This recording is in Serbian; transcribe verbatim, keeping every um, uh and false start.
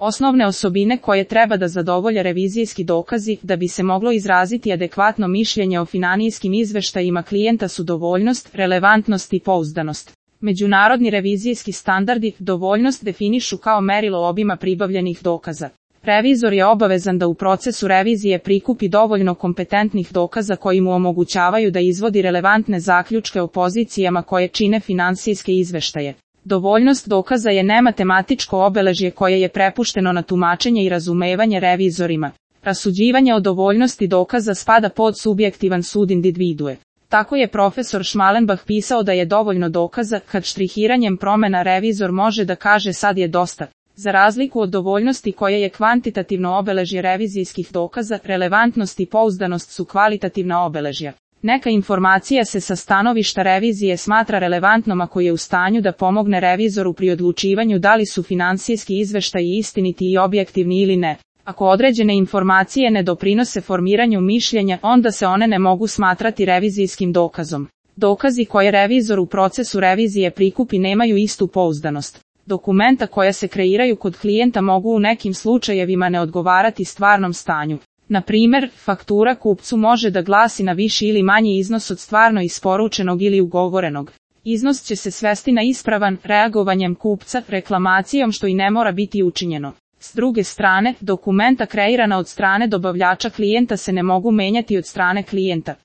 Osnovne osobine koje treba da zadovolje revizijski dokazi da bi se moglo izraziti adekvatno mišljenje o finansijskim izveštajima klijenta su dovoljnost, relevantnost i pouzdanost. Međunarodni revizijski standardi dovoljnost definišu kao merilo obima pribavljenih dokaza. Revizor je obavezan da u procesu revizije prikupi dovoljno kompetentnih dokaza koji mu omogućavaju da izvodi relevantne zaključke o pozicijama koje čine finansijske izveštaje. Dovoljnost dokaza je nematematičko obeležje koje je prepušteno na tumačenje i razumevanje revizorima. Rasuđivanje o dovoljnosti dokaza spada pod subjektivan sud individue. Tako je profesor Schmalenbach pisao da je dovoljno dokaza kad štrihiranjem promena revizor može da kaže sad je dosta. Za razliku od dovoljnosti koja je kvantitativno obeležje revizijskih dokaza, relevantnost i pouzdanost su kvalitativna obeležja. Neka informacija se sa stanovišta revizije smatra relevantnom ako je u stanju da pomogne revizoru pri odlučivanju da li su finansijski izveštaji istiniti i objektivni ili ne. Ako određene informacije ne doprinose formiranju mišljenja, onda se one ne mogu smatrati revizijskim dokazom. Dokazi koje revizor u procesu revizije prikupi nemaju istu pouzdanost. Dokumenta koja se kreiraju kod klijenta mogu u nekim slučajevima ne odgovarati stvarnom stanju. Na primjer, faktura kupcu može da glasi na viši ili manji iznos od stvarno isporučenog ili ugovorenog. Iznos će se svesti na ispravan reagovanjem kupca, reklamacijom što i ne mora biti učinjeno. S druge strane, dokumenta kreirana od strane dobavljača klijenta se ne mogu menjati od strane klijenta.